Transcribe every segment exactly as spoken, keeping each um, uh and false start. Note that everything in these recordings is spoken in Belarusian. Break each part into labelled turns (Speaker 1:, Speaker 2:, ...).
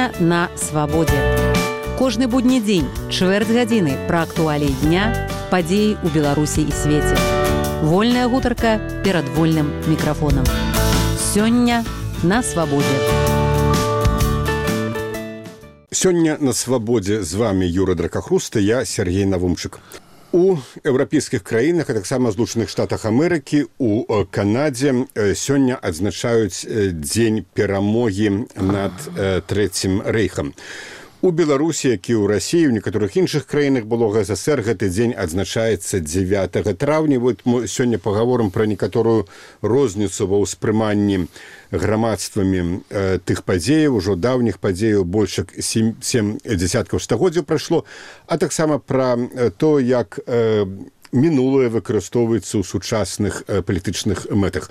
Speaker 1: Сёння на свабодзе. Кожны будні дзень, чвэрць гадзіны пра актуаліі дня, падзеі ў Беларусі і свеце. Вольная гутарка перад вольным мікрафонам. Сёння на свабодзе.
Speaker 2: Сёння на свабодзе з вами Юра Дракахруст і я, Сергей Навумчык. У еўрапейскіх краінах, а таксама Злучаных Штатах Амерыкі, у Канадзе сёння адзначаюць дзень перамогі над Трэцім рэйхам. У Беларусі, як і ў Расіі, у некаторых іншых краінах былога ЗСР гэты дзень адзначаецца дзевятага траўня. Вот мы сёння пагаворым пра некаторую розніцу ва ўспрыманні грамадствамі э, тых падзеяў, ужо даўніх падзеяў, больш як сем, сем дзесяткаў стагоддзяў прайшло, а таксама пра то, як э, мінулае выкарыстоўваецца ў сучасных э, палітычных мэтах.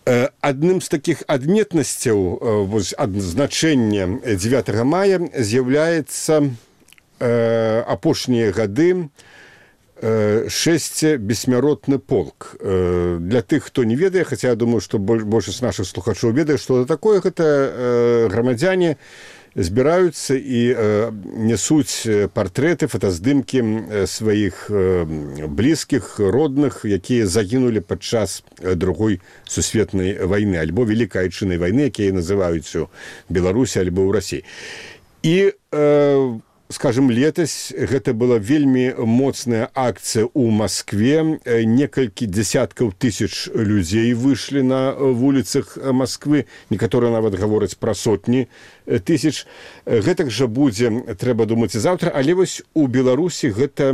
Speaker 2: Адным з такіх адметнасцяў адзначэння дзевятага мая з'яўляецца э, апошнія гады э, шэсцебессмяротны полк. Э, для тых, хто не ведае, хаця я думаю, што большасць нашых слухачоў ведае, што такое, гэта э, грамадзяне збіраюцца і э, нясуць партрэты, фотаздымкі сваіх э, блізкіх, родных, якія загінулі падчас другой сусветнай вайны, альбо Великай Айчыннай вайны, якія называюць у Беларусі альбо ў Расіі. І, э, скажем, летась гэта была вельмі моцная акцыя ў Маскве. Некалькі дзесяткаў тысяч людзей выйшлі на вуліцах Масквы, некаторыя нават гавораць пра сотні тысяч. Гэтак жа будзе, трэба думаць, і заўтра, але вось у Беларусі гэта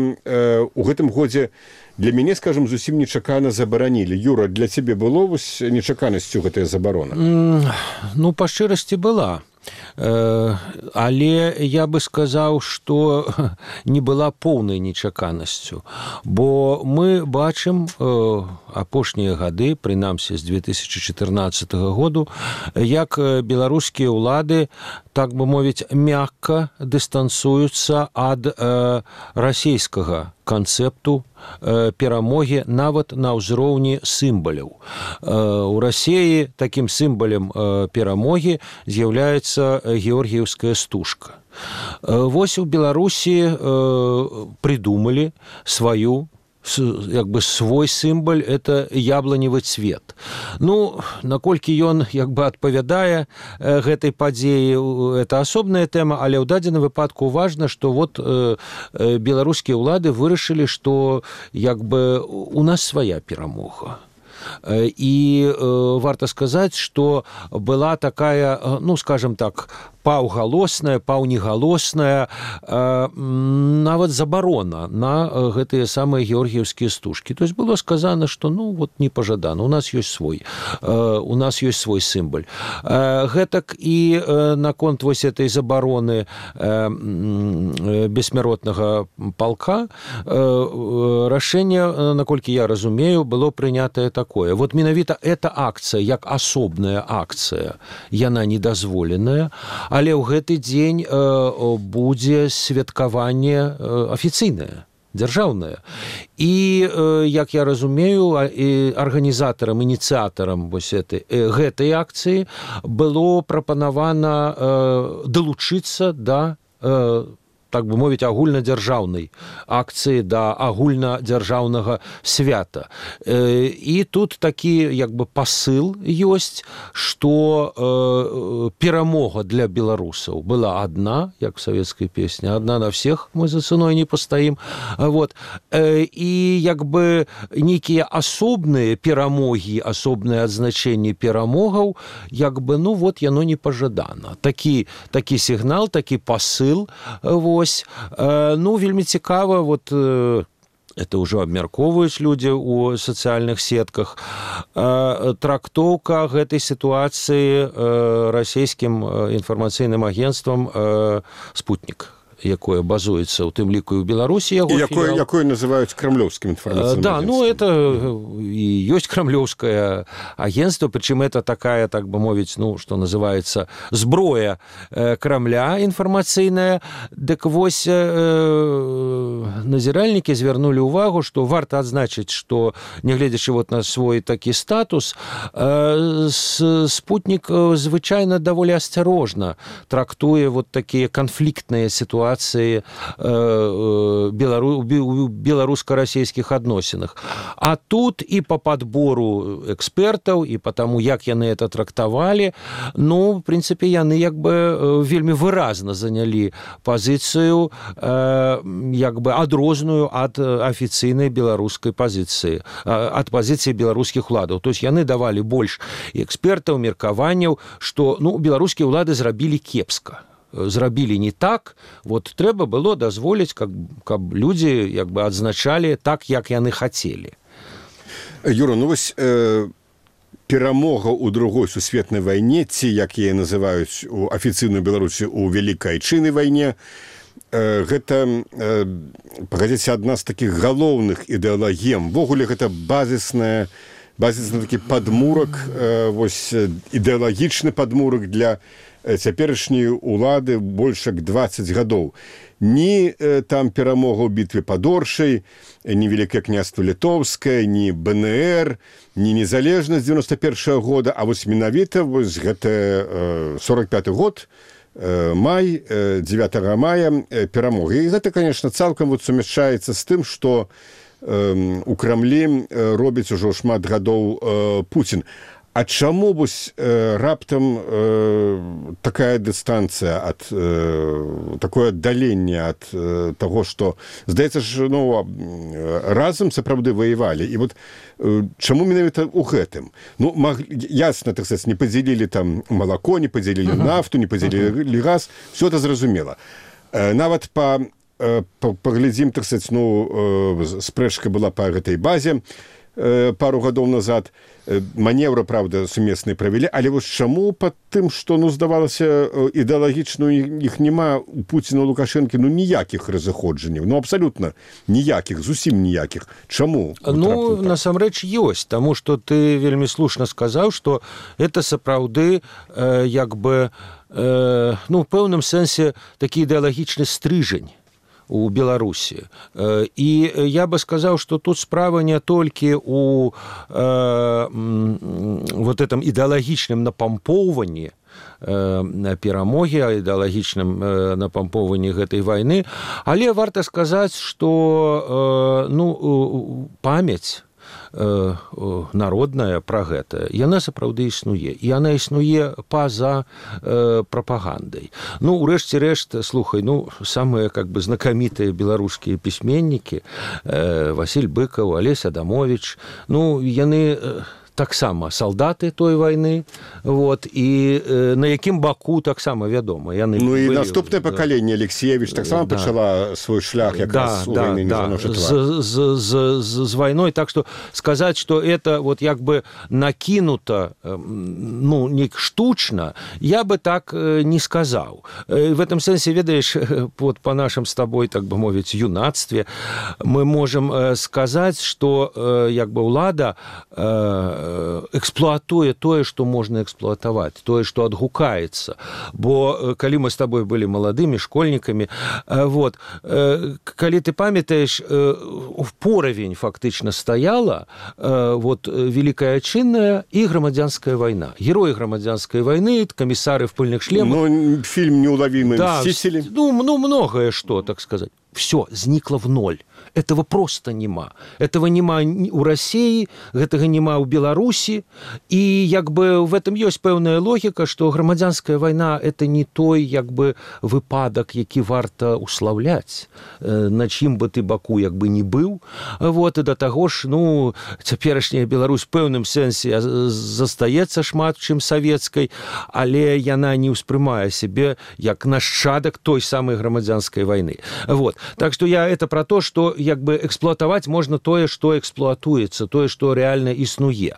Speaker 2: у гэтым годзе для мяне, скажем, зусім нечакана забаранілі. Юра, для цябе было вось нечаканасцю гэтая забарона?
Speaker 3: Mm, ну, па шчырасці была. Але я бы сказаў, што не была поўнай нечаканасцю, бо мы бачым апошнія гады, прынамсі з две тысячы чатырнаццатага году, як беларускія ўлады, так бы мовіць, мякка дыстанцуюцца ад расійскага канцэпту перамогі нават на ўзроўні сімваляў. У Расіі такім сімвалем перамогі з'яўляецца георгіеўская стужка. Вось у Беларусі прыдумалі сваю, як бы свой сімваль, это яблоневы цвет. Ну, наколькі ён як бы адпавядае гэтай падзеі, это асобная тэма, але ў дадзеным выпадку важна, што вот э, беларускія ўлады вырашылі, што як бы у нас свая перамога. І э, варта сказаць, што была такая, ну, скажем так, паўгалосная, паўнегалосная э, нават забарона на гэтыя самыя георгіеўскія стужкі. То есть было сказано, што ну вот не пажадана, у нас ёсць свой, э, у нас ёсць свой сімваль. Э, гэтак і э, наконт вось этой забароны э, бессмяротнага палка э, рашэнне, наколькі я разумею, было прынятае такое. Вот менавіта эта акцыя, як асобная акцыя, яна недазволеная, але ў гэты дзень э, будзе святкаванне э, афіцыйнае, дзяржаўнае. І, э, як я разумею, і арганізатарам, ініцыятарам вось этой, э, гэтай акцыі было прапанавана э, далучыцца да э, так бы мовіць, агульнадзяржаўнай акцыі да агульнадзяржаўнага свята. І тут такі як бы пасыл ёсць, што э, перамога для беларусаў была адна, як савецкая песня, адна на всех, мы за ценой не пастаім. Вот. І як бы нейкія асобныя перамогі, асобныя адзначэнні перамогаў, як бы, ну вот, яно не пажадана. Такі, такі сігнал, такі пасыл, вот. Ну, вельмі цікава, вот, это ўжо абмяркоўваюць людзі ў сацыяльных сетках, трактоўка гэтай сітуацыі расійскім інфармацыйным агенцтвам «Спутнік». якое базуецца ў тым ліку і ў Беларусі яго
Speaker 2: якое, якое называюць крамлёўскім інфармацыйным
Speaker 3: да, ну это і ёсць крамлёўскае агенцтва, прычым это такая, так бы мовіць, ну што называецца зброя Крамля інфармацыйная. Дык вось назіральнікі звярнулі ўвагу, што варта адзначыць, што нягледзячы вот на свой такі статус, спутнік звычайна даволі асцярожна трактуе вот такія канфліктныя сітуацыі белару... беларуска-расійскіх адносінах. А тут і по падбору экспертаў, і по таму, як яны это трактавалі, ну, в прынцыпе, яны як бы вельмі выразна занялі пазіцыю як бы адрозную ад афіцыйнай беларускай пазіцыі, ад пазіцыі беларускіх уладаў. То есть яны давалі больш экспертаў, меркаванняў, што ну, беларускія ўлады зрабілі кепска. Зрабілі не так, вот трэба было дазволіць, каб, каб людзі як бы адзначалі так, як яны хацелі.
Speaker 2: Юра, ну вось э, перамога ў другой сусветнай вайне, ці як яе называюць у афіцыйную Беларусі у Вялікай Айчыннай вайне, э, гэта, э, пагадзіце, адна з такіх галоўных ідэалагем. Ввогуле гэта базісная базісны такі падмурак, э, вось ідэалагічны падмурак для цяперашняй улады больш як дваццаць гадоў. Ні э, там перамога ў бітве пад Оршай, ні Великае княства Літоўскае, ні Бэ Эн Эр, ні незалежнасць дзевяноста першага года, а вось менавіта вось гэта э, сорок пяты год, э, май, э, дзевятага мая э, перамога. І гэта, конечно, цалкам вот сумяшчаецца з тым, што э, у Крамлі э, робіць ужо шмат гадоў э, Пуцін. А чаму вось э, раптам э, такая дыстанцыя ад э, такое аддаленне ад э, таго, што здаецца ж, ну, разам сапраўды ваявалі. І вот э, чаму менавіта ў гэтым? Ну, маг... ясна, так сказаць, не падзялілі там малако, не падзялілі uh-huh. нафту, не падзялілі uh-huh. газ, все это зразумела. Э, нават па э, паглядзім, так сказаць, ну, э, спрэчка была па гэтай базе э, пару гадоў назад. Маневры, правда, сумесныя правялі, але вось чаму пад тым, што, ну, здавалася, ідэалагічна іх няма у Пуціна, у Лукашэнкі, ну, ніякіх разыходжанняў, ну, абсалютна ніякіх, зусім ніякіх. Чаму?
Speaker 3: Ну, насамрэч ёсць, таму што ты вельмі слушна сказаў, што это сапраўды э, як бы, э, ну, в пэўным сэнсе такі ідэалагічны стрыжань у Беларусі. І я бы сказаў, што тут справа не толькі у э, вот этом ідэалагічным напампоўванні перамогі, ідэалагічным напампоўванні гэтай вайны, але варта сказаць, што э, ну, памяць народная пра гэта, яна сапраўды існуе. І яна існуе па-за э, прапагандай. Ну, урэшце рэшт, слухай, ну, самыя, как бы, знакамітыя беларускія пісьменнікі, э, Васіль Быкаў, Алесь Адамовіч, ну, яны э, таксама салдаты той вайны, вот, і э, на якім баку таксама вядома. Яны
Speaker 2: ну, і
Speaker 3: былі,
Speaker 2: наступнае
Speaker 3: да.
Speaker 2: пакаленне Алексеевич таксама да. пачала свой шлях якраз да, у вайны да, да.
Speaker 3: з, з, з, з, з вайной. Так што сказаць, што это вот як бы накінута, ну, не штучна, я бы так не сказаў. В этом сэнсе, ведаеш, вот па нашым з табой, так бы мовіць, юнацтве, мы можам сказаць, што як бы ўлада эксплуатуе тое, што можна эксплуатаваць, тое, што адгукаецца. Бо калі мы з табой былі маладымі школьнікамі, вот, калі ты памятаеш, в поравень фактычна стаяла вот, Великая Айчынная і грамадзянская вайна. Героі грамадзянскай вайны, камісары в пыльных шлемах.
Speaker 2: Ну, фильм «Неуловимые
Speaker 3: да,
Speaker 2: мстители».
Speaker 3: Ну, ну, многое что, так сказать. Все, зникло в ноль. Этого просто нема. Этого нема у России, гэтага нема ў Беларусі. І як бы в этом ёсць пэўная логіка, што грамадзянская вайна это не той як бы выпадак, які варта уславляць, на чым бы ты баку як бы не быў. Вот, і да таго ж, ну, цяперашняя Беларусь в пэўным сэнсе застаецца шмат чым савецкай, але яна не ўспрымае сябе як нашчадак той самай грамадзянскай вайны. Вот. Так что я это про то, что як бы эксплуатаваць можна тое, што эксплуатуецца, тое, што рэальна існуе.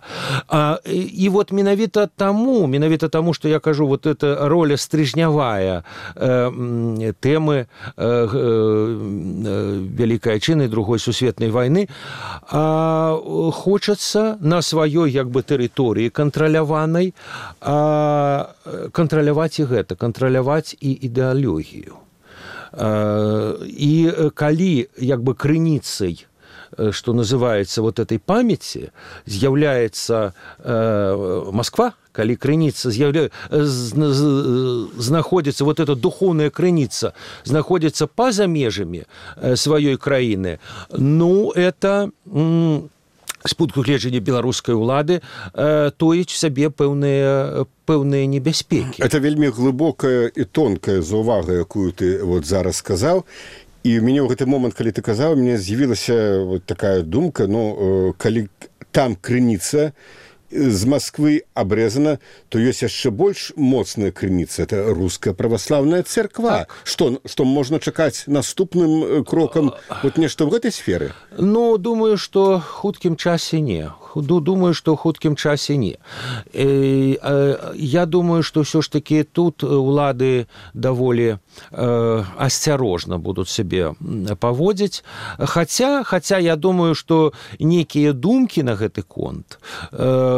Speaker 3: А, і, і вот менавіта таму, менавіта таму, што я кажу, вот эта роля стрыжнявая э, тэмы э, э, Вялікай Айчыннай другой сусветнай вайны, а, хочацца на сваёй як бы тэрыторыі кантраляванай а, кантраляваць і гэта, кантраляваць і ідэалогію. І калі як бы крыніцай, что называется, вот этой памяти з'яўляецца э, Москва, калі крыніца з'яўля... знаходзіцца, вот эта духовная крыніца знаходзіцца па-за межамі сваёй краіны, ну, это... М- з пункту гледжання беларускай улады э, тоіць сабе пэўныя пэўныя небяспекі.
Speaker 2: Это вельмі глыбокая і тонкая заўвага, якую ты вот зараз сказаў. І ў мяне ў гэты момант, калі ты казаў, мне з'явілася вот такая думка, ну, калі там крыніца з Москвы абрэзана, то ёсць яшчэ больш моцная крыніца. Это руская праваслаўная церква. Так. Што, што можна чакаць наступным крокам вот нешта ў гэтай сферы?
Speaker 3: Ну, думаю, што хуткім часе не. Думаю, што ў хуткім часе не. Я думаю, што ўсё ж такі тут улады даволі асцярожна будуць сябе паводзіць. Хаця, хаця я думаю, што нейкія думкі на гэты конт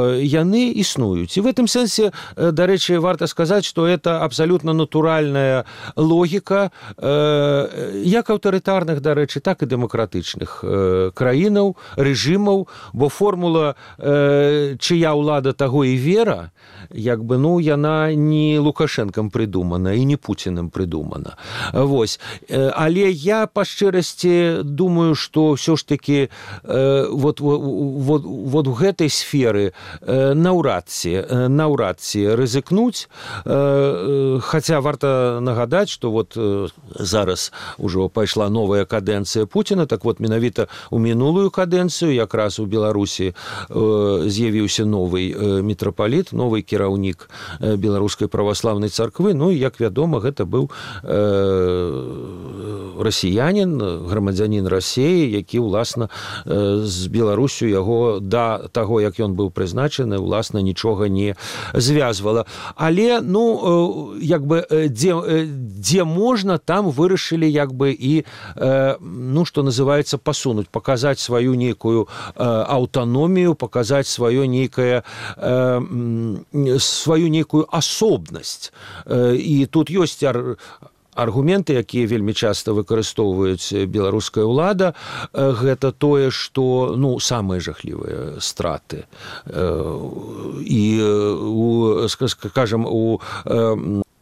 Speaker 3: яны існуюць. І в гэтым сэнсе, дарэчы, варта сказаць, што это абсалютна натуральная логіка як аўтарытарных, дарэчы, так і дэмакратычных краінаў, рэжымаў, бо формула чыя ўлада таго і вера, як бы, ну, яна не Лукашэнкам прыдумана і не Пуціным прыдумана. Вось. Але я па шчырасці думаю, што ўсё ж такі вот, вот, вот у гэтай сферы наўрад ці, наўрад ці рызыкнуць, хаця варта нагадаць, што вот зараз ужо пайшла новая кадэнцыя Пуціна, так вот менавіта у мінулую кадэнцыю якраз у Беларусі з'явіўся новы мітрапаліт, новы кіраўнік беларускай праваслаўнай царквы. Ну, і, як вядома, гэта быў расіянін, грамадзянін Расіі, які, уласна, з Беларусю яго да таго, як ён быў прызначаны, уласна, нічога не звязвала. Але, ну, як бы, дзе, дзе можна, там вырашылі, як бы, і, ну, што называецца, пасунуць, паказаць сваю нейкую аўтаномію, показать свое некое, э, свою некую асобнасць. І тут ёсць ар... аргументы, якія вельмі часта выкарыстоўваюць беларуская ўлада, гэта тое, што, ну, самыя жахлівыя страты. І, у, скажам, у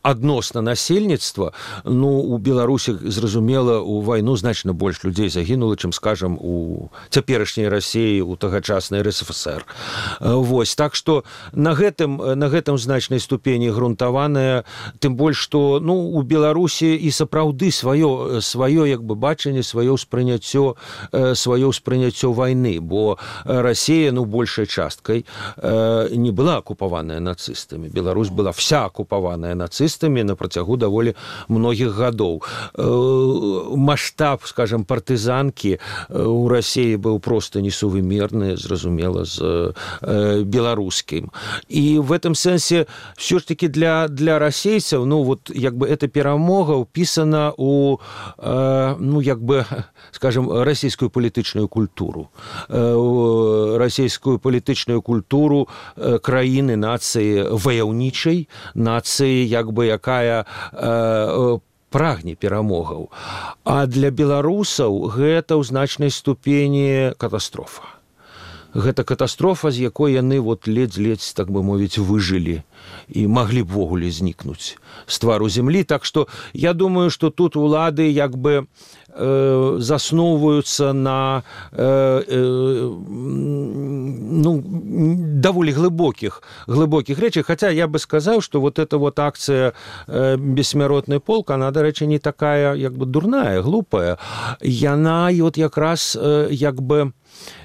Speaker 3: адносна насельніцтва, ну, у Беларусі, зразумела, у вайну значна больш людзей загінула, чым, скажам, у цяперашняй Расіі, у тагачаснай эр эс эф эс эр. Вось. Так што на гэтым, на гэтым значнай ступені грунтаваная, тым больш, што, ну, у Беларусі і сапраўды сваё, сваё як бы бачанне, сваё ўспрыняццё, сваё ўспрыняццё вайны, бо Расія, ну, большай часткай не была акупаваная нацыстамі. Беларусь была вся акупаваная нацыстамі на працягу даволі многіх гадоў. Маштаб, скажем, партызанкі у Расіі быў проста несувымерны, зразумела, з беларускім. І в этом сэнсе все ж таки для, для расейцаў, ну, вот, як бы, эта перамога ўпісана у, ну, як бы, скажем, расійскую палітычную культуру. Расійскую палітычную культуру краіны, нацыі ваяўнічай, нацыі, як бы, якая э, прагне перамогаў. А для беларусаў гэта ў значнай ступені катастрофа. Гэта катастрофа, з якой яны вот ледзь-ледзь, так бы мовіць, выжылі і маглі б ввогуле знікнуць з твару зямлі. Так што я думаю, што тут улады як бы э, засноўваюцца на э, э, ну, даволі глыбокіх, глыбокіх рэчах. Хаця я бы сказаў, што вот эта вот акцыя э, «Бессмяротны полк», она, дарэчы, не такая як бы дурная, глупая. Яна вот якраз э, як бы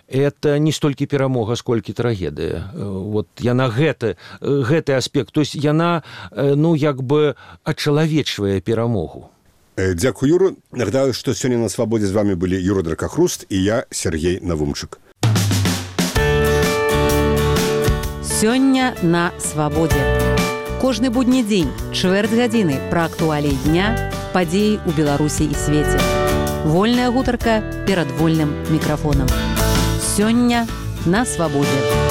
Speaker 3: это не столькі перамога, сколькі трагедыя. Вот яна гэты, гэты аспект, то есть яна, ну, як бы ачалавечвае перамогу.
Speaker 2: Дзякую, Юра. Нагадаю, што сёння на свабодзе з вами былі Юра Дракахруст і я, Сергей Навумчык.
Speaker 1: Сёння на свабодзе. Кожны будні дзень, чвэрць гадзіны пра актуаліі дня, падзеі ў Беларусі і свеце. Вольная гутарка перад вольным мікрафонам. Сёння на свабодзе.